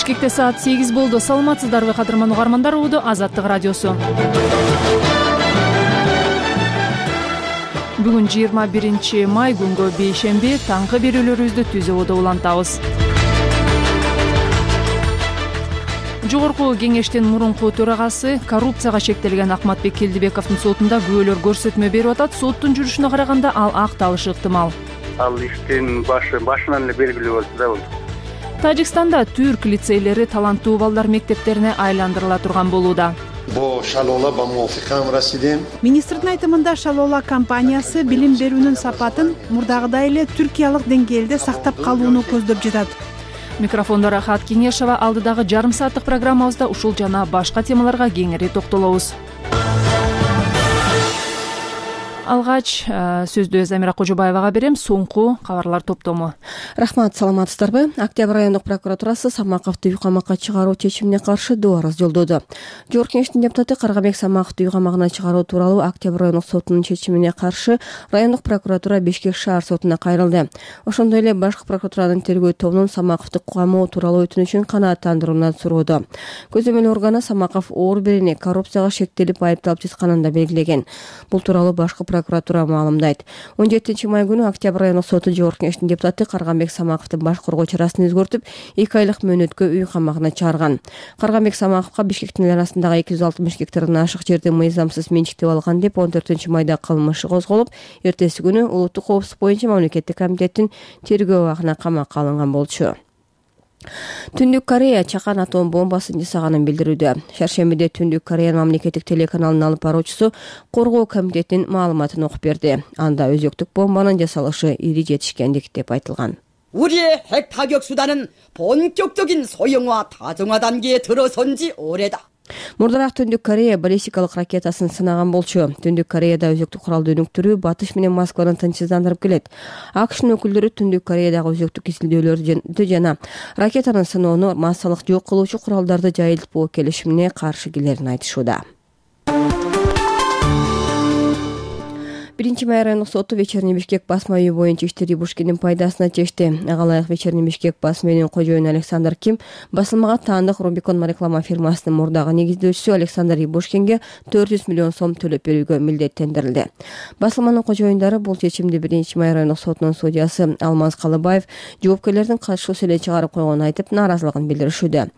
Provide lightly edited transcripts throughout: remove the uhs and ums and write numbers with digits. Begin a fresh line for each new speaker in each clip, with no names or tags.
Бишкекте саат 8 болду. Саламатсыздарбы кадырман угармандар, угду Азаттык радиосу. Бүгүн 21 май күнгө бейшемби, таңкы берүүлөрүбүздү түз абада улантабыз. Жогорку кеңештин мурунку төрагасы коррупцияга шектелген Акматбек Келдибековдун сотунда күбөлөр көрсөтмө берип атат. Соттун жүрүшүнө караганда ал акталышы ыктымал.
Ал иштин башынан эле белгилүү болчу да бул.
Тажикстанда түрк лицейлери таланттуу балдар мектептерине айландырыла турган болууда.
Министрдин айтымында Шалола компаниясы билим берүүнүн сапатын мурдагыдай эле түркиялык деңгээлде сактап калууну көздөп жатат.
Микрофондо Рахат Кеңешова. Алдыдагы жарым сааттык программабызда ушул жана башка темаларга кеңири токтолобуз. Алгач сөздү Замира Кожобаевага берем. Соңку кабарлар топтому.
Рахмат, саламатсыздарбы? Октябрь райондук прокуратурасы Самаковду үй камакка чыгаруу чечимине каршы доо арыз жолдоду. Жогорку кеңештин депутаты Каргабек Самаковду үй камагына чыгаруу тууралуу Октябрь райондук сотунун чечимине каршы райондук прокуратура Бишкек шаар сотуна кайрылды. Ошондой эле башкы прокуратуранын тергөө тобунун Самаковду камоо тууралуу өтүнүчүн канааттандырууна сурооду. Көзөмөл органы Самаков оор биrini коррупцияга шектелип айыпталып жатканын да белгилеген. Бул тууралуу башкы прокуратура маалымдайт. 17 май күнү Октябрь райондук соту жогорку кеңештин депутаты Каргабек Самаковдун баш коргоо чарасын өзгөртүп, 2 айлык мөөнөткө үй камагына чыгарган. Каргабек Самаковго Бишкектин арасындагы 260 гектардан ашык жерди мыйзамсыз менчиктеп алган деп 14 майда кылмышы козголуп, эртеси күнү улуттук коопсуздук боюнча мамлекеттик комитеттин тергөө абагына камакка алынган болчу. Түндүк Корея чакан атом бомбасын жасаганын билдирүүдө. Шаршембиде Түндүк Кореянын мамлекеттик телеканалынын алып баруучусу коргоо комитетинин маалыматын окуп берди. Анда өзөктүк бомбанын жасалышы ири жетишкендик деп айтылган.
우리의 핵 타격 수단은 본격적인 소형화 다정화 단계에 들어선 지 오래다.
Мурдараак Түндүк Корея баллистикалык ракетасын сынаган болчу. Түндүк Кореяда өзөктүк куралды өнүктүрүү батыш менен Москваны тынчсыздандырып келет. АКШнын өкүлдөрү Түндүк Кореядагы өзөктүк изилдөөлөрдү жана ракетанын сыноону массалык жок кылуучу куралдарды жайылтпоо келишимине каршы келерин айтышууда. 1 май райондук соту Вечерний Бишкек басма үйү боюнча иштери Бушкиндин пайдасына чечти. Ага ылайык Вечерний Бишкек басма үйүнүн кожоюну Александр Ким басылмага таандык Рубикон реклама фирмасынын мурдагы негиздөөчүсү Александр Ибушкинге 400 миллион сом төлөп берүүгө милдеттендирилди. Басылманын кожоюндары бул чечимди 1 май райондук сотунун судьясы Алмаз Калыбаев жоопкерлердин катышуусу эле чыгарып койгонун айтып, нааразылыгын билдиришүүдө.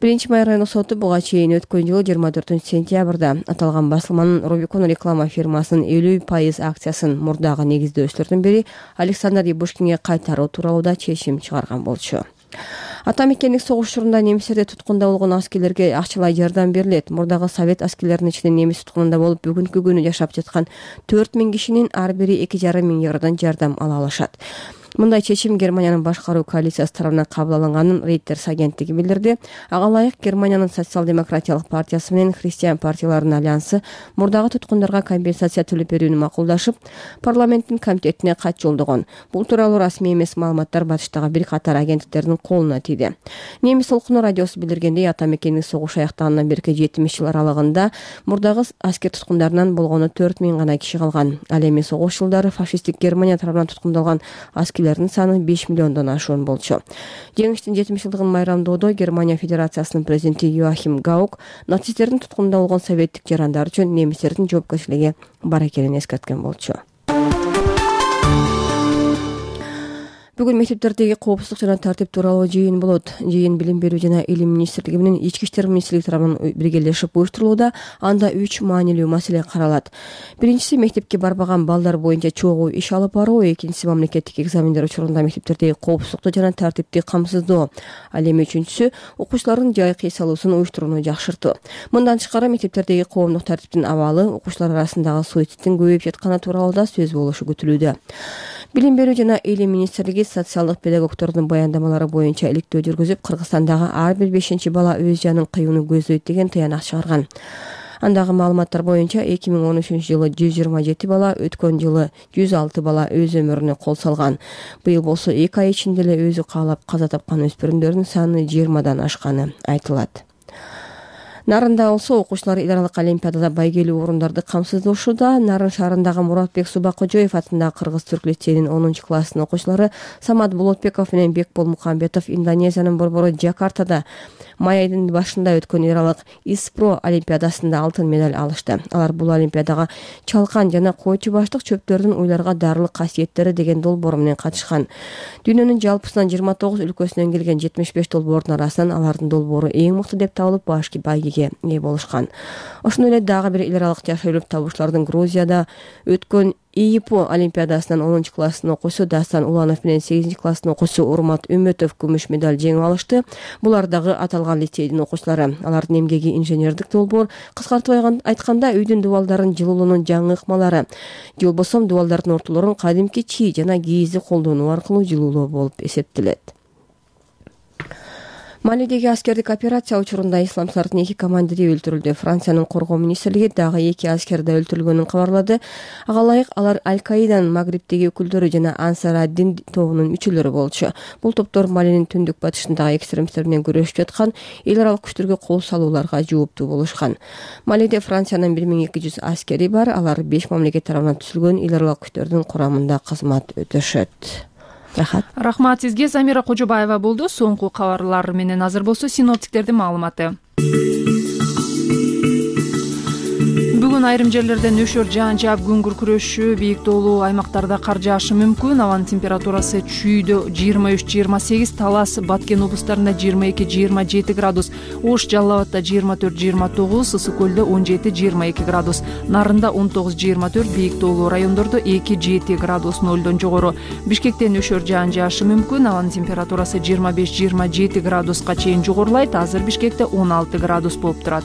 1 май райондук соту буга чейин өткөн жылы 24 сентябрда аталган басылманын Рубикон реклама фирмасынын 50% акциясын мурдагы негиздөөчүлөрдүн бири Александр Ибушкинге кайтаруу тууралуу да чечим чыгарган болчу. Ата мекендик согуш учурунда немистерде туткунда болгон аскерлерге акчалай жардам берилет. Мурдагы совет аскерлеринин ичинен немис туткунунда болуп бүгүнкү күнү жашап жаткан 4000 кишинин ар бири 2,5 миң евродон жардам ала алышат. Мындай чечим Германиянын башкаруу коалициясы тарабынан кабыл алынганын Reuters агенттиги билдирди. Ага ылайык Германиянын социал-демократиялык партиясы менен христиан партияларынын альянсы мурдагы туткундарга компенсация төлөп берүүнү макулдашып, парламенттин комитетине кат жолдогон. Бул тууралуу расмий эмес маалыматтар батыштагы бир катар агенттиктердин колуна тийди. Немис толкуну радиосу билдиргендей, ата мекендик согуш аяктагандан берки 70 жыл аралыгында мурдагы аскер туткундарынан болгону 4000 гана киши калган. Ал эми согуш жылдары фашисттик Германия тарабынан туткундалган аскерлердин саны 5 миллиондон ашуун болчу. Жеңиштин 70 жылдыгын майрамдоодо Германия Федерациясынын президенти Йоахим Гаук нацисттердин туткунунда болгон советтик жарандар үчүн немистердин жоопкерчилиги бар экенин эскерткен болчу. Бүгүн мектептердеги коопсуздук жана тартип тууралуу жыйын болот. Жыйын Билим берүү жана Илим министрлиги менен Ички иштер министрлиги тарабынан биргелешип уюштурулууда. Анда 3 маанилүү маселе каралат. Биринчиси мектепке барбаган балдар боюнча чогуу иш алып баруу, экинчиси мамлекеттик экзамендер учурунда мектептердеги коопсуздукту жана тартипти камсыздоо. Ал эми үчүнчүсү окуучулардын жайкы эс алуусун уюштурууну жакшыртуу. Мындан тышкары мектептердеги коомдук тартиптин абалы, окуучулар арасындагы суицидтин көбөйүп жатканы тууралуу да сөз болушу күтүлүүдө. Билим берүү жана Илим министрлиги социалдык педагогдордун баяндамалары боюнча иликтөө жүргүзүп, Кыргызстандагы ар бир 5-чи бала өз жанын кыюуну көздөйт деген тыянак чыгарган. Андагы маалыматтар боюнча 2013 жылы 127 бала, өткөн жылы 106 бала өз өмүрүнө кол салган. Быйыл болсо 2 ай ичинде эле өзү каалап каза тапкан өспүрүмдөрдүн саны 20дан ашканы айтылат. Нарында болсо окуучулар эл аралык олимпиадада байгелүү орундарды камсыздоошууда. Нарын шаарындагы Муратбек Субакожоев атындагы Кыргыз-Түрк лицейинин 10 класстын окуучулары Самат Болотбеков менен Бекбол Мукамбетов Индонезиянын борбору Жакартада май айынын башында өткөн эл аралык ИСПРО олимпиадасында алтын медаль алышты. Алар бул олимпиадага чалкан жана койчу баштык чөптөрдүн уйларга дарылык касиеттери деген долбоору менен катышкан. Дүйнөнүн жалпысынан 29 өлкөсүнөн келген 75 долбоордун арасынан алардын долбоору эң мыкты деп табылып башкы байгеге ээ болушкан. Ошондой эле дагы бир эл аралык жаш өйлөп табуучулардын Грузияда өткөн ИИПО олимпиадасынан 10 класстын окуучусу Дастан Уланов менен 8 класстын окуучусу Урмат Үмөтов күмүш медаль жеңип алышты. Булар дагы аталган лицейдин окуучулары. Алардын эмгеги инженердик долбоор, кыскартып айтканда үйдүн дубалдарын жылуулоонун жаңы ыкмалары. Же болбосо дубалдардын ортолорун кадимки чий жана кийизди колдонуу аркылуу жылуулоо болуп эсептелет. Малидеги аскердик операция учурунда исламчылардын 2 командири өлтүрүлдү. Франциянын коргоо министрлиги дагы 2 аскер да өлтүрүлгөнүн кабарлады. Ага ылайык алар Аль-Каиданын Магрибтеги өкүлдөрү жана Ансар ад-Дин тобунун мүчөлөрү болчу. Бул топтор Малинин түндүк батышындагы экстремисттер менен күрөшүп жаткан эл аралык күчтөргө кол салууларга жооптуу болушкан. Малиде Франциянын 1200 аскери бар. Алар 5 мамлекет тарабынан түзүлгөн эл аралык күчтөрдүн курамында кызмат өтөшөт.
Рахмат сизге. Замира Кожобаева болду. Соңку кабарлар менен азыр болсо синоптиктердин маалыматы. Бүгүн айрым жерлерде нөшөр жаан жаап күн күркүрөшү, бийик тоолуу аймактарда кар жаашы мүмкүн. Абанын температурасы Чүйдө 23-28, Талас, Баткен облустарында 22-27 градус, Ош, Жалал абадда 24-29, Ысык көлдө 17-22 градус, Нарында 19-24, бийик тоолуу райондордо 2-7 градус нөлдөн жогору. Бишкекте нөшөр жаан жаашы мүмкүн. Абанын температурасы 25-27 градуска чейин жогорулайт. Азыр Бишкекте 16 градус болуп турат.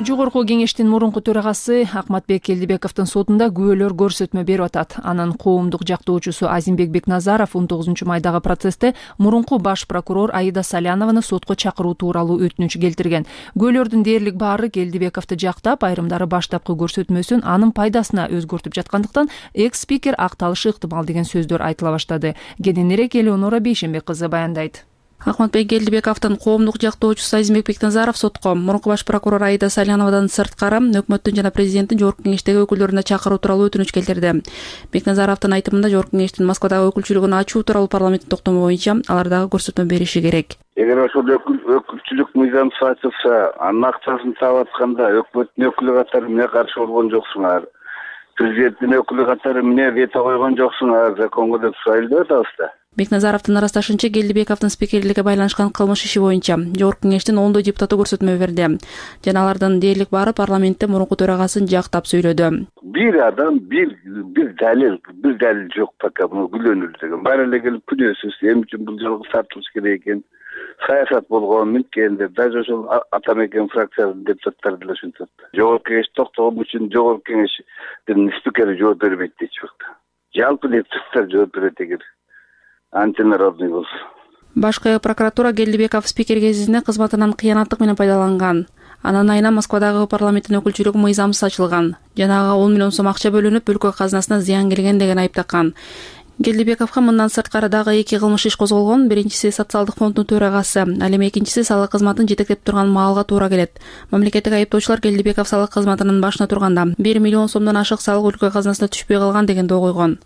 Жогорку кеңештин мурунку төрагасы Акматбек Келдибековдун сотунда күбөлөр көрсөтмө берип атат. Анын коомдук жактоочусу Азимбек Бекназаров 19 майдагы процессте мурунку баш прокурор Аида Салянованы сотко чакыруу тууралуу өтүнүч келтирген. Күбөлөрдүн дээрлик баары Келдибековду жактап, айрымдары баштапкы көрсөтмөсүн анын пайдасына өзгөртүп жаткандыктан экс-спикер акталышы ыктымал деген сөздөр айтыла баштады. Кененирээк Элеонора Бейшенбек кызы баяндайт.
Акматбек Келдибековдун коомдук жактоочусу Азимбек Бекназаров сотко мурунку баш прокурор Аида Саляновадан сырткары өкмөттүн жана президенттин жогорку кеңештеги өкүлдөрүнө чакыруу тууралуу өтүнүч келтирди. Бекназаровдун айтымында жогорку кеңештин Москвадагы өкүлчүлүгүн ачуу тууралуу парламенттин токтому боюнча алар дагы көрсөтмө бериши керек.
Эгер ошол өкүлчүлүк мыйзамсыз ачылса, анын акчасын таап атканда өкмөттүн өкүлү катары эмне каршы болгон жоксуңар? Президенттин өкүлү катары эмне вето койгон жоксуңар? Законго деп сурайлып атабыз да.
Бекназаровдун ырасташынча Келдибековдун спикерлиги байланышкан кылмыш иши боюнча жогорку кеңештин 10 депутаты көрсөтмө берди. Жана алардын дээрлик баары парламентте мурунку төрагасын жактап сүйлөдү.
Бир адам, бир далил жок пока муну күлөнүлү деген. Баары эле келип күнөөсүз эми үчүн бул жолго тартылыш керек экен. Саясат болгон мүмкүн деп даже ошол Атамекен фракциясынын депутаттары деле ушинтет. Жогорку кеңеш токтогон үчүн жогорку кеңештин спикери жооп бербейт дейчү. Жалпы депутаттар жооп берет эгер антинародный болсо.
Башкы прокуратура Келдибеков спикер кезинде кызматынан кыянаттык менен пайдаланган. Анын айынан Москвадагы парламенттин өкүлчүлүгү мыйзамсыз ачылган. Жана ага 10 миллион сом акча бөлүнүп, өлкө казынасына зыян келген деген айып таккан. Келдибековго мындан сырткары дагы 2 кылмыш иш козголгон. Биринчиси социалдык фонддун төрагасы, ал эми экинчиси салык кызматын жетектеп турган маалга туура келет. Мамлекеттик айыптоочулар Келдибеков салык кызматынын башына турганда 1 миллион сомдон ашык салык өлкө казынасына түшпөй калган деген доо койгон.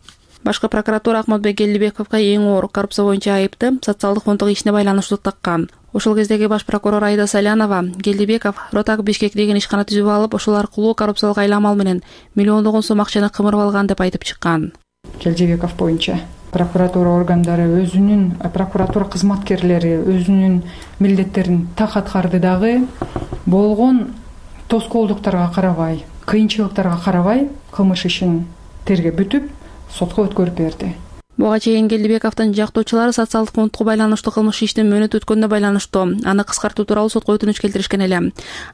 Башкы прокуратура Акматбек Келдибековго эң оор коррупция боюнча айыпты социалдык фонддук ишине байланыштуу таккан. Ошол кездеги баш прокурор Аида Салянова Келдибеков Ротак Бишкек деген ишкана түзүп алып, ошол аркылуу коррупциялык айламал менен миллиондогон сом акчаны кымырып алган деп айтып чыккан.
Келдибеков боюнча прокуратура органдары прокуратура кызматкерлери өзүнүн милдеттерин так аткарды дагы болгон тоскоолдуктарга карабай, кыйынчылыктарга карабай кылмыш ишин тергеп бүтүп сотко өткөрүп берди.
Буга чейин Келдибековдун жактоочулары социалдык фондко байланыштуу кылмыш иштин мөөнөт өткөнүнө байланыштуу аны кыскартуу тууралуу сотко өтүнүч келтиришкен эле.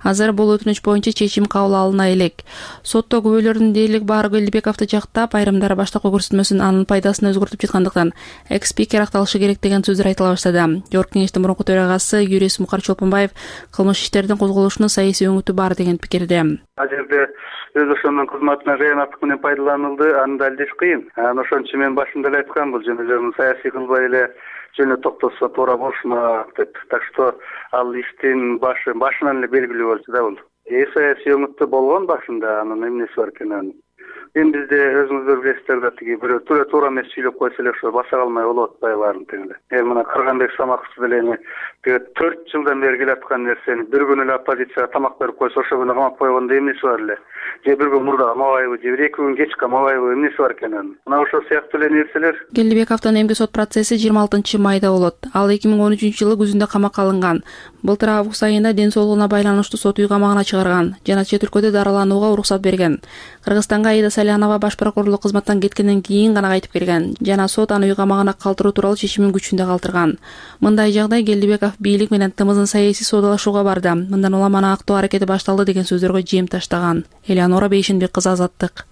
Азыр бул өтүнүч боюнча чечим кабыл алына элек. Сотто күбөлөрдүн дээрлик баары Келдибековду жактап, айрымдары баштапкы көрсөтмөсүн анын пайдасына өзгөртүп жаткандыктан экс-спикер акталышы керек деген сөздөр айтыла баштады. Жогорку кеңештин мурунку төрагасы юрист Мукар Чолпонбаев кылмыш иштердин козголушунун саясий өңүтү бар деген пикирде.
Ал жерде өз ошонун кызматына кыянаттык менен пайдаланылды, аны далилдеш кыйын. Ошон үчүн мен башында эле айткам, бул жөн саясий кылбай эле жөн токтосо туура болушмак деп. Так что ал иштин башынан эле белгилүү болчу да бул. Саясий өңүттө болгон башында, анын эмнеси бар экен. Эми бизде өзүңүздөр билесиздер да тиги бирөө туура эмес сүйлөп койсо эле ошо баса калмай болуп атпайбы баарын тең эле. Эми мына Кыргынбек Самаков деле тиги 4 жылдан бери келаткан нерсени бир күнү эле оппозицияга тамак берип койсо ошо күнү камап койгондо эмнеси бар эле? Же бир күн мурда камабайбы, же 2 күн кеч камабайбы, эмнеси бар экен анын? Мына ошол сыяктуу эле нерселер.
Келдибековдун эмгиче сот процесси 26-майда болот. Ал 2013-жылы күзүндө камакка алынган. Былтыр август айында ден соолугуна байланыштуу сот үй камагына чыгарган жана чет өлкөдө дарыланууга уруксат берген. Кыргызстанга Аида Салянова баш прокурорлук кызматтан кеткенден кийин гана кайтып келген жана сот аны үй камагына калтыруу тууралуу чечимин күчүндө калтырган. Мындай жагдай Келдибеков бийлик менен тымызын саясий соодалашууга барды. Мындан улам аны актоо аракети башталды деген сөздөргө жем таштаган. Элеонора Бейшенбек кызы, Азаттык.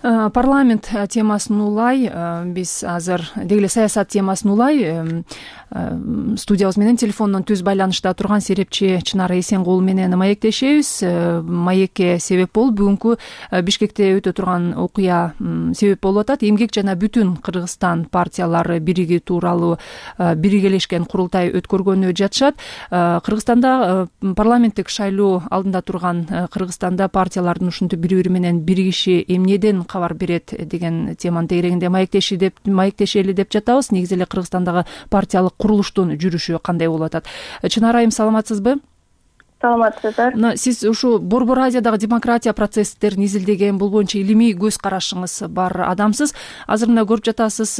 Парламент темасын улай биз азыр деги эле саясат темасын улай студиябыз менен телефондон түз байланышта турган серепчи Чынар Эсенгул менен маектешебиз. Маекке себеп болуп бүгүнкү Бишкекте өтө турган окуя себеп болуп атат. Эмгек жана Бүтүн Кыргызстан партиялары бириги тууралуу биргелешкен курултай өткөргөнү жатышат. Кыргызстанда парламенттик шайлоо алдында турган Кыргызстанда партиялардын ушинтип бири-бири менен биригиши эмнеден кабар берет деген теманын тегерегинде маектешели деп жатабыз. Негизи эле Кыргызстандагы партиялык курулуштун жүрүшү кандай болуп атат? Чынар айым, саламатсызбы?
Саламатсыздар.
Сиз ушу Борбор Азиядагы демократия процесстерин изилдеген, бул боюнча илимий көз карашыңыз бар адамсыз. Азыр мына көрүп жатасыз,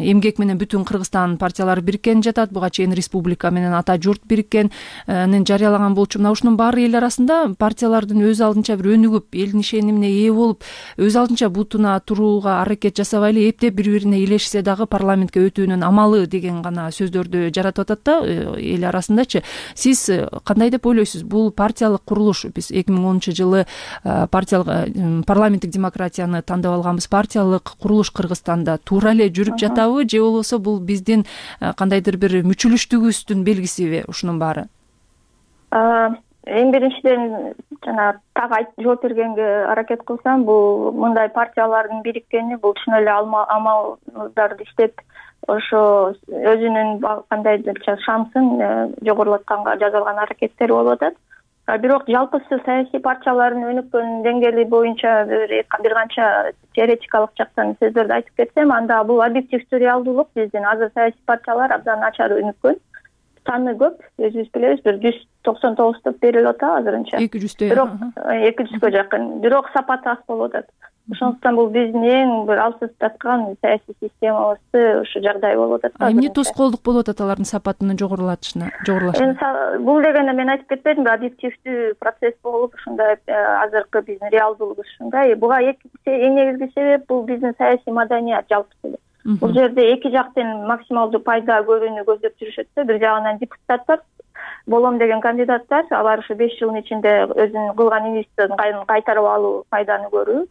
Эмгек менен Бүтүн Кыргызстан партиялары бириккен жатат. Буга чейин Республика менен Ата журт бириккенин жарыялаган болчу. Мына ушунун баары эл арасында партиялардын өз алдынча бир өнүгүп, элдин ишенимине ээ болуп, өз алдынча бутуна турууга аракет жасабай эле эптеп бири-бирине илешсе дагы парламентке өтүүнүн амалы деген гана сөздөрдү жаратып атат да эл арасындачы. Сиз кандай деп ойлойсуз? Бул партиялык курулуш, биз 2010-жылы парламенттик демократияны тандап алганбыз. Партиялык курулуш Кыргызстанда туура эле жүрүп жатабы, же болбосо бул биздин кандайдыр бир мүчүлүштүгүбүздүн белгисиби ушунун баары?
Эң биринчиден жана так жооп бергенге аракет кылсам, бул мындай партиялардын бириккени бул чын эле амалдарды иштеп ошо өзүнүн кандайдырча шансын жогорулатканга жасалган аракеттер болуп атат. Бирок жалпысы саясий партиялардын өнүккөн деңгээли боюнча бир канча теоретикалык жактан сөздөрдү айтып кетсем, анда бул объективдүү реалдуулук. Биздин азыр саясий партиялар абдан начар өнүккөн. Саны көп, өзүбүз билебиз, бир 199 берилип атат азырынча. 200 бирок 200гө жакын. Бирок сапаты аз болуп атат. Ошондуктан бул биздин эң бир алсыздаткан саясий системабызды ушу жагдай болуп атат.
Эмне тоскоолдук болуп атат алардын сапатынын жогорулашына?
Бул дегенде мен айтып кетпедимби, объективдүү процесс болуп, ушундай азыркы биздин реалдуулугубуз ушундай. Буга эң негизги себеп бул биздин саясий маданият жалпысы эле. Бул жерде эки жактан максималдуу пайда көрүүнү көздөп жүрүшөт. Бир жагынан депутаттар, болом деген кандидаттар, алар ушу 5 жылдын ичинде өзүнүн кылган инвестициясын кайтарып алуу, пайданы көрүү.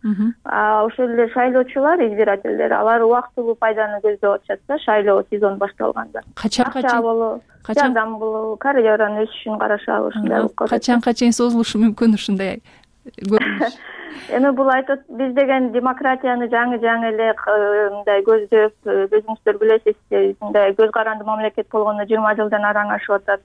Ошол эле шайлоочулар, избирательдер, алар убактылуу пайданы көздөп атышат да, шайлоо сезону башталганда. Жардам болобу, карьеранын өсүшүн карашабы, ушундай.
Качанга чейин созулушу мүмкүн ушундай көрүнүш?
Эми бул айтат, биз деген демократияны жаңы эле мындай көздөп, өзүңүздөр билесиз, мындай көз каранды мамлекет болгондо 20 жылдан араң ашып атат.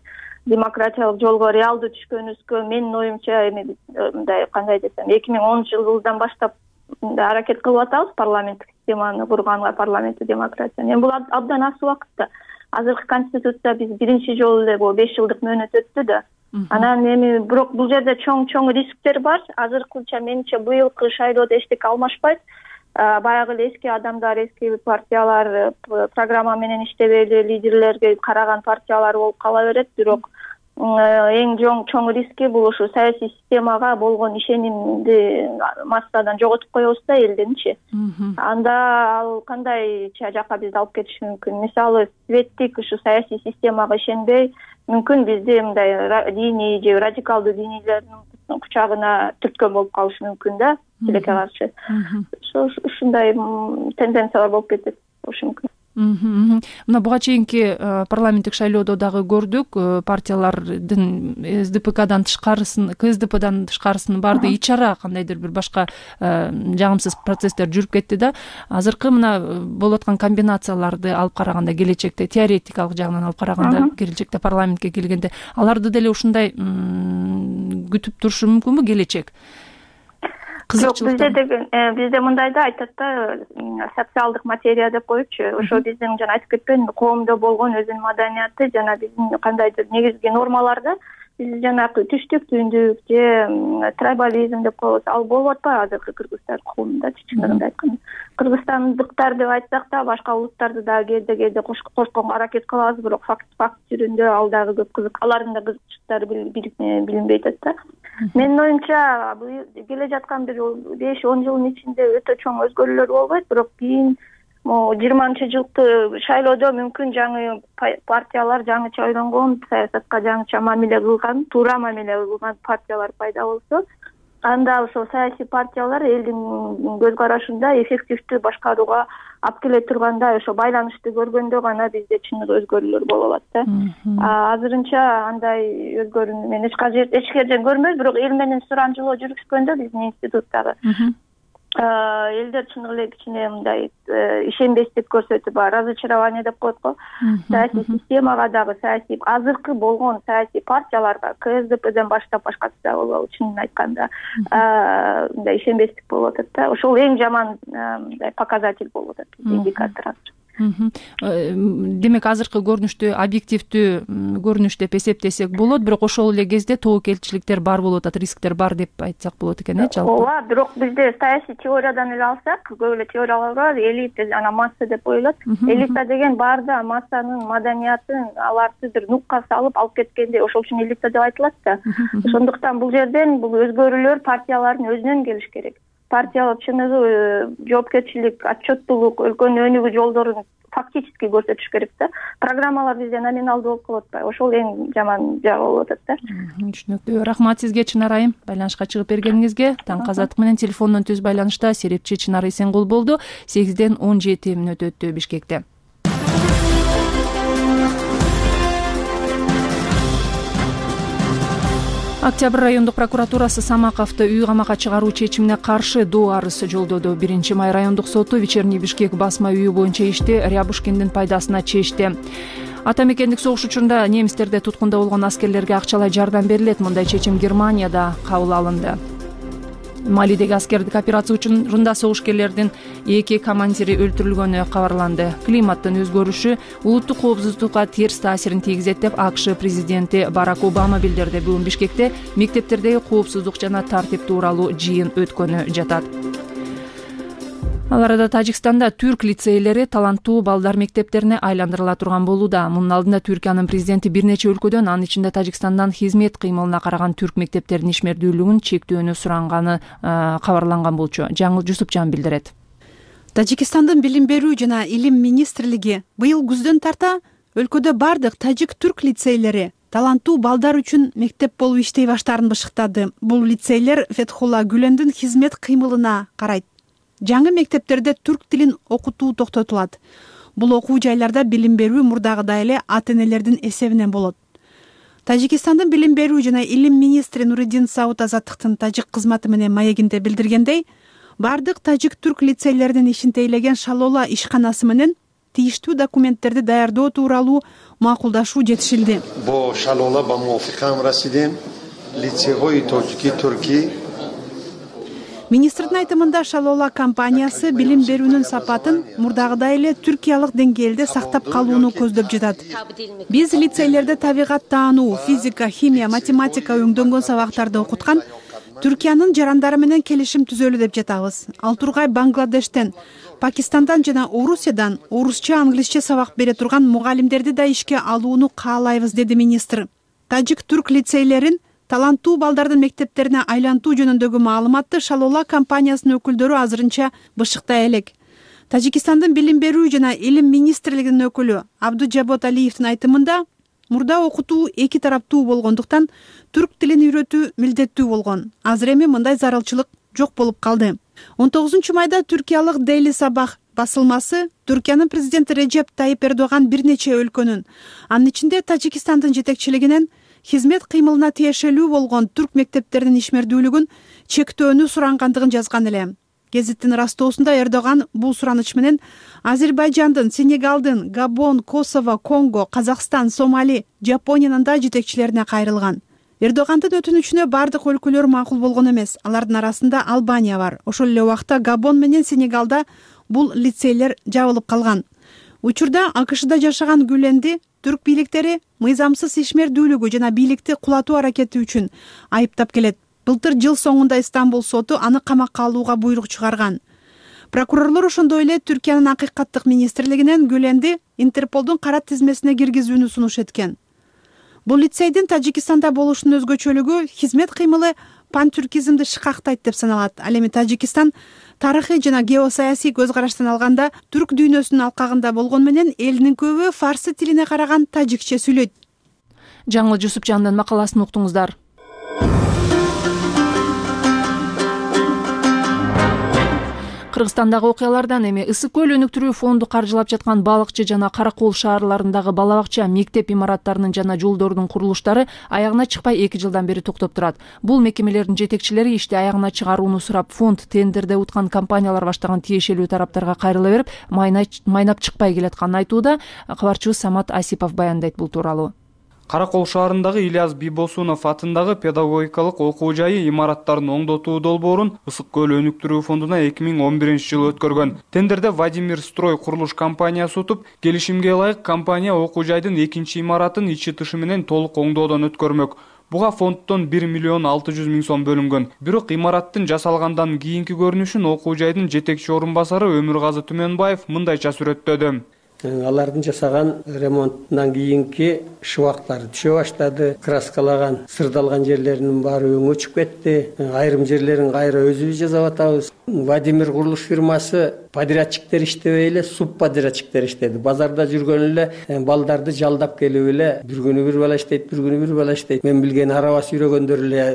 Демократиялык жолго реалдуу түшкөнүбүзгө менин оюмча эми мындай кандай десем, 2010-жылдан баштап аракет кылып атабыз парламенттик системаны курганга, парламенттик демократияны. Эми бул абдан аз убакытта. Азыркы конституция биз биринчи жолу эле бул 5 жылдык мөөнөт өттү да. Анан эми бирок бул жерде чоң рисктер бар. Азыркыча менимче быйылкы шайлоодо эчтеке алмашпайт. Баягы эле эски адамдар, эски партиялар программа менен иштебей эле лидерлерге караган партиялар болуп кала берет. Бирок эң чоң риски бул ушу саясий системага болгон ишенимди массадан жоготуп коебуз да, элденчи. Анда ал кандай жакка бизди алып кетиши мүмкүн? Мисалы, светтик ушу саясий системага ишенбей, мүмкүн бизди мындай диний же радикалдуу динийлердин кучагына түрткөн болуп калышы мүмкүн да, тилекке каршы. Ушундай тенденциялар болуп кетет болушу мүмкүн.
Мына буга чейинки парламенттик шайлоодо дагы көрдүк, партиялардын СДПКдан тышкарысын, КСДПдан тышкарысын баарды ич ара кандайдыр бир башка жагымсыз процесстер жүрүп кетти да. Азыркы мына болуп аткан комбинацияларды алып караганда, келечекте теоретикалык жагынан алып караганда, келечекте парламентке келгенде аларды деле ушундай күтүп турушу мүмкүнбү келечек?
Бизде мындай да айтат да, социалдык материя деп коючу. Ошо биздин жана айтып кетпедимби, коомдо болгон өзүнүн маданияты жана биздин кандайдыр негизги нормаларды биз жанагы түштүк, түндүк же трайбализм деп коебуз, ал болуп атпайбы азыркы кыргызстан коомунда? Чындыгында айтканда, кыргызстандыктар деп айтсак да, башка улуттарды дагы кээде кошконго аракет кылабыз, бирок факт жөнүндө ал дагы көп кызык, алардын да кызыкчылыктары билинбей атат да. Менин оюмча, келе жаткан бир 5-10 жылдын ичинде өтө чоң өзгөрүүлөр болбойт, бирок кийин 20-жылкы шайлоодо мүмкүн жаңы партиялар, жаңыча ойлонгон, саясатка жаңыча мамиле кылган, туура мамиле кылган партиялар пайда болсо, анда ошол саясий партиялар элдин көз карашында эффективдүү башкарууга алып келе тургандай, ошо байланышты көргөндө гана бизде чыныгы өзгөрүүлөр боло алат да. Азырынча андай өзгөрүүнү мен эч жерден көрмөйм, бирок эл менен сурамжылоо жүргүзгөндө биздин институттагы элдер чын эле кичине мындай ишенбестик көрсөтүп, разочарование деп коет го. Саясий системага дагы, саясий азыркы болгон саясий партияларга, КСДПден баштап башкасы да болобу, чынын айтканда мындай ишенбестик болуп атат да. Ошол эң жаман мындай показатель болуп атат, индикатор азыр.
Демек азыркы көрүнүштү объективдүү көрүнүш деп эсептесек болот, бирок ошол эле кезде тобокелчиликтер бар болуп атат, рисктер бар деп айтсак болот экен, жалпы.
Ооба, бирок бизде саясий теориядан эле алсак, көп эле теориялар бар, элита жана масса деп коюлат. Элита деген бар да массанын маданиятын аларды бир нукка салып алып кеткенде, ошол үчүн элита деп айтылат да. Ошондуктан бул жерден бул өзгөрүүлөр партиялардын өзүнөн келиш керек. Партиялар чыныгы жоопкерчилик, отчеттуулук, өлкөнүн өнүгүү жолдорун фактически көрсөтүш керек да. Программалар бизде номиналдуу болуп калып атпайбы? Ошол эң жаман жагы болуп атат да.
Түшүнүктүү. Рахмат сизге, Чынар айым, байланышка чыгып бергениңизге. Таңкы азаттык менен телефондон түз байланышта серепчи Чынар Эсенгул болду. 8-ден 17 мүнөт өттү Бишкекте. Октябрь райондук прокуратурасы Самаковду үй камакка чыгаруу чечимине каршы доо арыз жолдоду. 1-май райондук соту Вечерний Бишкек басма үйү боюнча ишти Рябушкиндин пайдасына чечти. Ата мекендик согуш учурунда немистерде туткунда болгон аскерлерге акчалай жардам берилет. Мындай чечим Германияда кабыл алынды. Малидеги аскердик операция учурунда согушкерлердин 2 командири өлтүрүлгөнү кабарланды. Климаттын өзгөрүшү улуттук коопсуздукка терс таасирин тийгизет деп АКШ президенти Барак Обама билдирди. Бүгүн Бишкекте мектептердеги коопсуздук жана тартип тууралуу жыйын өткөнү жатат. Ал арада Тажикстанда түрк лицейлери таланттуу балдар мектептерине айландырыла турган болууда. Мунун алдында Түркиянын президенти бир нече өлкөдөн, анын ичинде Тажикстандан хизмет кыймылына караган түрк мектептеринин ишмердүүлүгүн чектөөнү суранганы кабарланган болчу. Жаңыл Жусупжан билдирет.
Тажикстандын билим берүү жана илим министрлиги быйыл күздөн тарта өлкөдө бардык тажик-түрк лицейлери таланттуу балдар үчүн мектеп болуп иштей баштаарын бышыктады. Бул лицейлер Фетхулла Гүлендин хизмет кыймылына карайт. Жаңы мектептерде түрк тилин окутуу токтотулат. Бул окуу жайларда билим берүү мурдагыдай эле ата энелердин эсебинен болот. Тажикстандын билим берүү жана илим министри Нуриддин Сауд Азаттыктын тажик кызматы менен маегинде билдиргендей, бардык тажик-түрк лицейлеринин ишин тейлеген Шалола ишканасы менен тийиштүү документтерди даярдоо тууралуу макулдашуу жетишилди.
Бо Шалола ба муафикам расидем лицейгои таджики-турки.
Министрдин айтымында Шалола компаниясы билим берүүнүн сапатын мурдагыдай эле түркиялык деңгээлде сактап калууну көздөп жатат. Биз лицейлерде табигат таануу, физика, химия, математика өңдөнгөн сабактарды окуткан Түркиянын жарандары менен келишим түзөлү деп жатабыз. Ал тургай Бангладештен, Пакистандан жана Орусиядан орусча, англисче сабак бере турган мугалимдерди да ишке алууну каалайбыз, деди министр. Тажик-түрк лицейлерин таланттуу балдардын мектептерине айлантуу жөнүндөгү маалыматты Шалола компаниясынын өкүлдөрү азырынча бышыктай элек. Тажикстандын билим берүү жана илим министрлигинин өкүлү Абдужабот Алиевдин айтымында, мурда окутуу эки тараптуу болгондуктан түрк тилин үйрөтүү милдеттүү болгон. Азыр эми мындай зарылчылык жок болуп калды. 19 майда түркиялык Daily Sabah басылмасы Түркиянын президенти Режеп Тайип Эрдоган бир нече өлкөнүн, анын ичинде Тажикстандын жетекчилигинен хизмет кыймылына тиешелүү болгон түрк мектептеринин ишмердүүлүгүн чектөөнү сурангандыгын жазган эле. Гезиттин ырастоосунда Эрдоган бул сураныч менен Азербайжандын, Сенегалдын, Габон, Косово, Конго, Казакстан, Сомали, Жапониянын да жетекчилерине кайрылган. Эрдогандын өтүнүчүнө бардык өлкөлөр макул болгон эмес. Алардын арасында Албания бар. Ошол эле убакта Габон менен Сенегалда бул лицейлер жабылып калган. Учурда АКШда жашаган Гүленди түрк бийликтери мыйзамсыз ишмердүүлүгү жана бийликти кулатуу аракети үчүн айыптап келет. Былтыр жыл соңунда Стамбул соту аны камакка алууга буйрук чыгарган. Прокурорлор ошондой эле Түркиянын акыйкаттык министрлигинен Гүленди Интерполдун кара тизмесине киргизүүнү сунуш эткен. Бул лицейдин Тажикстанда болушунун өзгөчөлүгү хизмет кыймылы пантүркизмди шыкактайт деп саналат. Ал эми Тажикстан тарыхый жана геосаясий көз караштан алганда түрк дүйнөсүнүн алкагында болгону менен элинин көбү фарсы тилине караган тажикче сүйлөйт.
Жаңыл Жусупжандын макаласын уктуңуздар. Кыргызстандагы окуялардан эми Ысык көл өнүктүрүү фонду каржылап жаткан Балыкчы жана Каракол шаарларындагы бала бакча, мектеп имараттарынын жана жолдордун курулуштары аягына чыкпай 2 жылдан бери токтоп турат. Бул мекемелердин жетекчилери ишти аягына чыгарууну сурап, фонд тендерде уткан компаниялар баштаган тиешелүү тараптарга кайрыла берип, майнап чыкпай келатканын айтууда. Кабарчыбыз Самат Асипов баяндайт бул тууралуу.
Каракол шаарындагы Ильяс Бибосунов атындагы педагогикалык окуу жайы имараттарын оңдотуу долбоорун Ысык көл өнүктүрүү фондуна 2011-жылы өткөргөн. Тендерде Владимир Строй курулуш компаниясы утуп, келишимге ылайык компания окуу жайдын 2-чи имаратын ичи тышы менен толук оңдоодон өткөрмөк. Буга фонддон 1 миллион 600 миң сом бөлүнгөн. Бирок имараттын жасалгандан кийинки көрүнүшүн окуу жайдын жетекчи орун басары Өмүргазы Түмөнбаев мындайча сүрөттөдү.
Алардын жасаган ремонттан кийинки шыбактары түшө баштады. Краскалаган, сырдалган жерлеринин баары өңү өчүп кетти. Айрым жерлерин кайра өзүбүз жасап атабыз. Владимир курулуш фирмасы подрядчиктер иштебей эле, субподрядчиктер иштеди. Базарда жүргөн эле балдарды жалдап келип эле бир күнү бир бала иштейт, бир күнү бир бала иштейт. Мен билген араба сүйрөгөндөр эле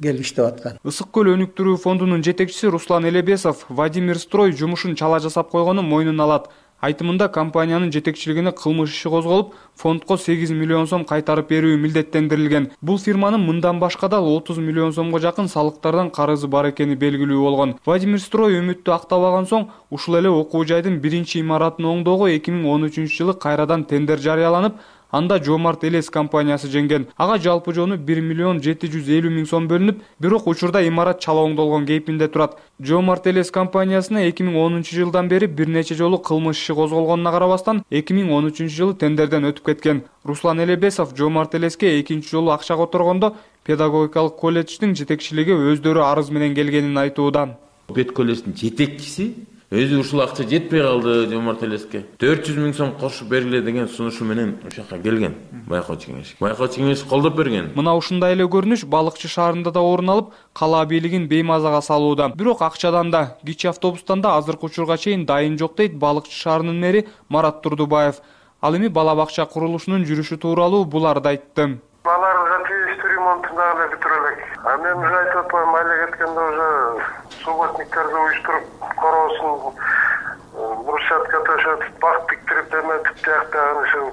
келип иштеп аткан.
Ысык көл өнүктүрүү фондунун жетекчиси Руслан Элебесов Владимир Строй жумушун чала жасап койгонун мойнуна алат. Айтымында компаниянын жетекчилигине кылмыш иши козголуп, фондко 8 миллион сом кайтарып берүү милдеттендирилген. Бул фирманын мындан башка да 30 миллион сомго жакын салыктардан карызы бар экени белгилүү болгон. Владимир Строй үмүттү актабаган соң, ушул эле окуу жайдын 1-чи имаратын оңдоого 2013-жылы кайрадан тендер жарыяланып, анда Жомарт Элес компаниясы жеңген. Ага жалпы жону 1 миллион 750 миң сом бөлүнүп, бирок учурда имарат чала оңдолгон кейпинде турат. Жомарт Элес компаниясына 2010-жылдан бери бир нече жолу кылмыш иши козголгонуна карабастан 2013-жылы тендерден өтүп кеткен. Руслан Элебесов Жомарт Элеске 2-чи жолу акча которгондо педагогикалык колледждин жетекчилиги өздөрү арыз менен келгенин айтууда.
Колледждин жетекчиси өзү ушул акча жетпей калды Жомарт Элеске. 400 миң сом кошуп бергиле деген сунушу менен ошока келген. Байкоочу кеңеш колдоп берген.
Мына ушундай эле көрүнүш Балыкчы шаарында да орун алып, кала бийлигин беймазага салууда. Бирок акчадан да, кичи автобустан да азыркы учурга чейин дайын жок дейт Балыкчы шаарынын мэри Марат Турдубаев. Ал эми бала бакча курулушунун жүрүшү тууралуу буларды айтты.
Баларга тийиштүү ремонтун дагы эле бүтүрө элек. Мен уже айтып атпайм, айлык кеткенде уже субботниктерди уюштуруп короосун брусчатка төшөтүп, бак тиктирип эметип, тияктагы ушул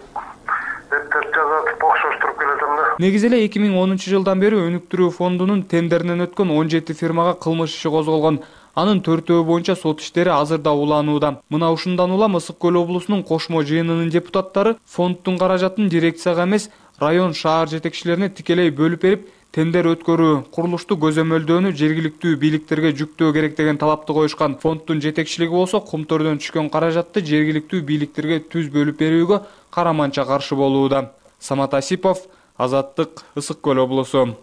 эптеп жазатып окшоштуруп келетем да.
Негизи эле 2010-жылдан бери өнүктүрүү фондунун тендеринен өткөн 17 фирмага кылмыш иши козголгон. Анын 4-өө боюнча сот иштери азырда уланууда. Мына ушундан улам Ысык көл облусунун кошмо жыйынынын депутаттары фонддун каражатын дирекцияга эмес, район шаар жетекчилерине тикелей бөлүп берип, тендер өткөрүү, курулушту көзөмөлдөөнү жергиликтүү бийликтерге жүктөө керек деген талапты коюшкан. Фонддун жетекчилиги болсо комтордон түшкөн каражатты жергиликтүү бийликтерге түз бөлүп берүүгө караманча каршы болууда. Самат Асипов, Азаттык, Ысык көл облусу.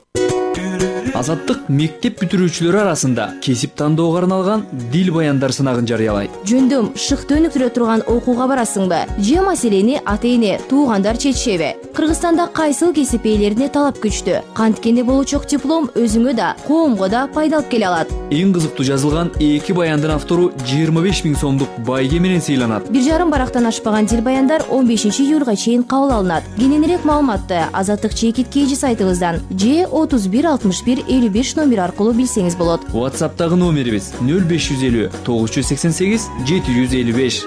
Азаттык мектеп бүтүрүүчүлөрү арасында кесип тандоого арналган дил баяндар сынагын жарыялайт.
Жөндөм шыкты өнүктүрө турган окууга барасыңбы? Же маселени ата-эне, туугандар чечишеби? Кыргызстанда кайсыл кесип ээлерине талап күчтүү? Канткенде болучок диплом өзүңө да, коомго да пайдалып келе алат.
Эң кызыктуу жазылган 2 баяндын автору 25 миң сомдук байге менен сыйланат.
1,5 барактан ашпаган дил баяндар 15-июлга чейин кабыл алынат. Кененирээк маалыматты Азаттык чекит KG сайтыбыздан же 31 61 55 номер аркылуу билсеңиз болот.
WhatsApp'тагы номерибиз 0550 988 755.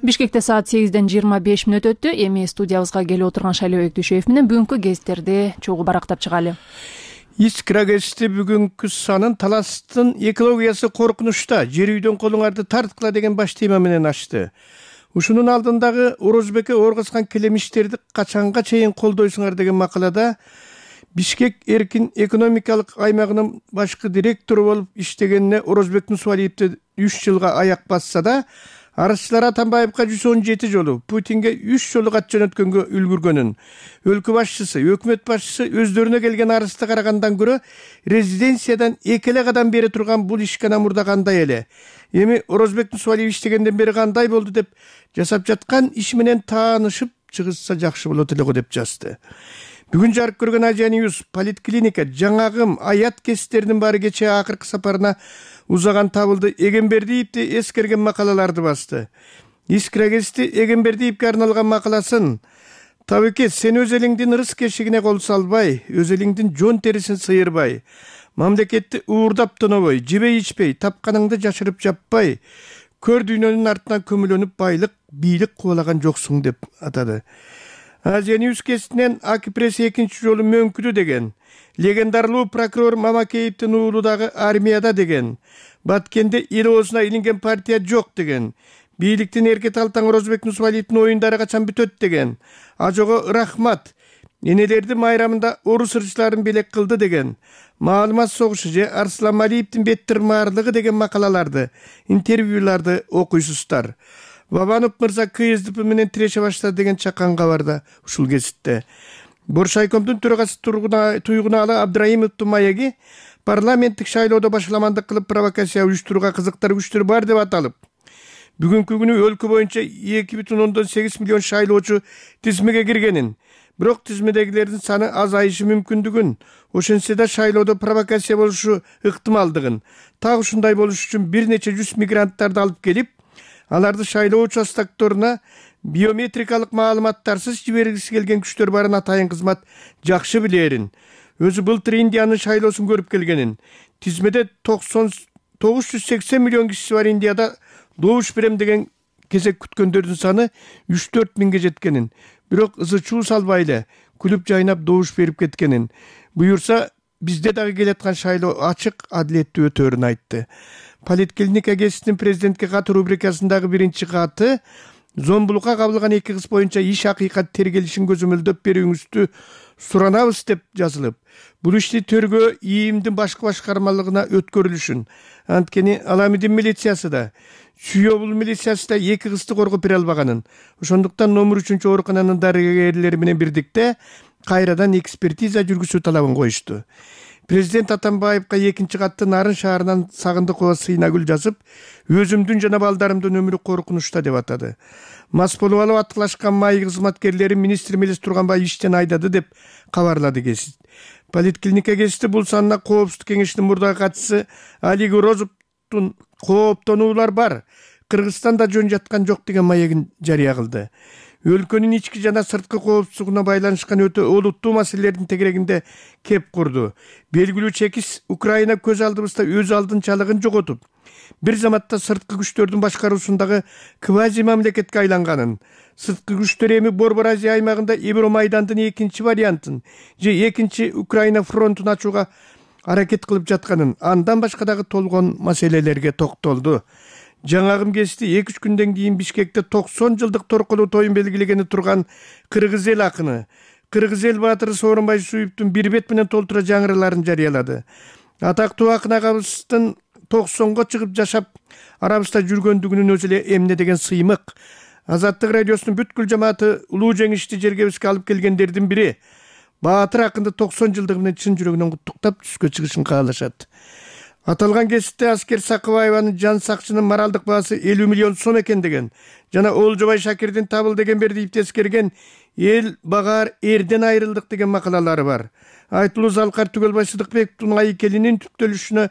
Бишкекте саат 8:25 өттү. Эми студиябызга келип отурган Шайлообек Дүйшөев менен бүгүнкү гезиттерди чогуу барактап чыгалы.
Искра гезити бүгүнкү санын таластын экологиясы коркунучта, жер үйдөн колуңарды тарткыла деген баш тема менен ачты. Ушунун алдындагы Орозбекке оргоскан келемиштерди качанга чейин колдойсуңар деген макалада Бишкек эркин экономикалык аймагынын башкы директору болуп иштегенине Орозбек Нусвалиевди 3 жылга аяк басса да, арызчылар Атамбаевга 117 жолу, Путинге 3 жолу кат жөнөткөнгө үлгүргөнүн, өлкө башчысы, өкмөт башчысы өздөрүнө келген арызды карагандан көрө резиденциядан 2 эле кадам бери турган бул ишкана мурда кандай эле. Эми Орозбек Нусвалиев иштегенден бери кандай болду деп жасап жаткан иш менен таанышып чыгышса жакшы болот эле го деп жазды. Бүгүн жарык көргөн Азия Ньюс политклиника, жаңагым, аят кестеринин баары кечээ акыркы сапарына узаган табылды. Эгембердиевди эскерген макалаларды басты. Искра гезити Эгембердиевге арналган макаласын «Табеке, сен өз элиңдин ырыс кешигине кол салбай, өз элиңдин жон терисин сыйырбай, мамлекетти уурдап тонобой, жебей ичпей, тапканыңды жашырып жаппай, көр дүйнөнүн артынан көмүлөнүп байлык, бийлик кубалаган жоксуң» деп атады. Азия Ньюс гезитинен Акипресс 2 жолу мөңкүдү деген, легендарлуу прокурор Мамакеевдин уулу дагы армияда деген, Баткенде эл оозуна илинген партия жок деген, бийликтин эрке талтаң Орозбек Нусвалиевдин оюндары качан бүтөт деген, Ажого рахмат, энелерди майрамында орус ырчыларын белек кылды деген, маалымат согушу же Арслан Малиевдин бет тырмаарлыгы деген макалаларды, интервьюларды окуйсуздар. Бабанов мырза КСДП менен тиреше баштады деген чакан кабарда ушул гезитте. Боршайкомдун төрагасы Туйгуналы Абдраимовдун маеги парламенттик шайлоодо башаламандык кылып провокация уюштурууга кызыктар күчтөр бар деп аталып, бүгүнкү күнү өлкө боюнча 2,8 миллион шайлоочу тизмеге киргенин, бирок тизмедегилердин саны азайышы мүмкүндүгүн, ошентсе да шайлоодо провокация болушу ыктымалдыгын, так ушундай болуш үчүн бир нече 100 мигранттарды алып келип, аларды шайлоо участокторуна биометрикалык маалыматтарсыз жибергиси келген күчтөр барын атайын кызмат жакшы билерин. Өзү былтыр Индиянын шайлоосун көрүп келгенин, тизмеде 980 миллион кишиси бар Индияда добуш берем деген кезек күткөндөрдүн саны 3-4 миңге жеткенин, бирок ызы-чуу салбай эле күлүп жайнап добуш берип кеткенин, буюрса бизде дагы келаткан шайлоо ачык, адилеттүү өтөөрүн айтты. Политклиника гезитинин президентке кат рубрикасындагы биринчи каты зомбулукка кабылган 2 кыз боюнча иш акыйкат тергелишин көзөмөлдөп берүүңүздү суранабыз деп жазылып, бул ишти тергөө ИИМдин башкы башкармалыгына өткөрүлүшүн, анткени Аламидин милициясы да, Сүйөбул милициясы да 2 кызды коргоп бере албаганын, ошондуктан номер 3 оорукананын дарыгерлери менен бирдикте кайрадан экспертиза жүргүзүү талабын коюшту. Президент Атамбаевга 2 катты Нарын шаарынан Сагындыкова Сыйнагүл жазып, өзүмдүн жана балдарымдын өмүрү коркунучта деп атады. Мас болуп алып аттылашкан май кызматкерлери министр Мелис Турганбаев иштен айдады деп кабарлады гезит. Политклиника гезити бул санына Коопсуздук кеңешинин мурдагы катчысы Алик Розовдун кооптонуулар бар, Кыргызстанда жөн жаткан жок деген маегин жарыя кылды. Өлкөнүн ички жана сырткы коопсуздугуна байланышкан өтө олуттуу маселелердин тегерегинде кеп курду. Белгилүү чекис Украина көз алдыбызда өз алдынчалыгын жоготуп, бир заматта сырткы күчтөрдүн башкаруусундагы квази мамлекетке айланганын, сырткы күчтөр эми Борбор Азия аймагында Евромайдандын 2 вариантын же 2 Украина фронтун ачууга аракет кылып жатканын, андан башка дагы толгон маселелерге токтолду. Жаңагым гезити 2-3 күндөн кийин Бишкекте 90 жылдык торколуу тоюн белгилегени турган Кыргыз эл акыны, Кыргыз эл баатыры Сооронбай Суюптун бир бет менен толтура жаңыраларын жарыялады. Атактуу акын агабыздын 90го чыгып жашап арабызда жүргөндүгүнүн өзү эле эмне деген сыймык. Азаттык радиосунун бүткүл жамааты улуу жеңишти жергебизге алып келгендердин бири. Баатыр акынды 90 жылдыгы менен чын жүрөгүнөн куттуктап түскө чыгышын каалашат. Аталган гезитте Аскер Сакыбаеванын жан сакчынын моралдык баасы 50 миллион сом экен деген жана Олжобай Шакирдин табылды Эгембердиевди эскерген эл багаар эрден айрылдык деген макалалары бар. Айтылуу Залкар Түгөлбай Сыдыкбековдун айкелинин түптөлүшүнө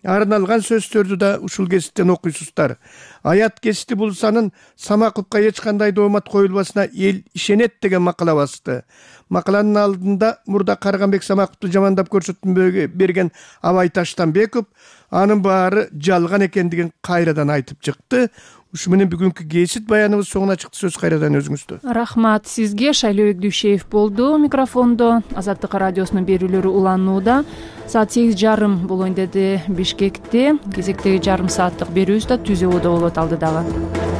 арналган сөздөрдү да ушул кесиптен окуйсуздар. Аят кести Булсанын Самаковго эч кандай доомат коюлбасына эл ишенет деген макала басты. Макаланын алдында мурда Карганбек Самаковду жамандап көрсөтмө берген Абай Таштанбеков анын баары жалган экендигин кайрадан айтып чыкты. Ушу менен бүгүнкү кесип баяныбыз соңуна чыкты. Сөз кайрадан өзүңүздө.
Рахмат сизге. Шайлоо Дүйшеев болду микрофондо. Азаттык радиосунун берүүлөрү уланууда. Саат 8:30 болоюн деди Бишкекте. Кезектеги жарым сааттык берүүбүз да Түз Ободо болот алдыдагы.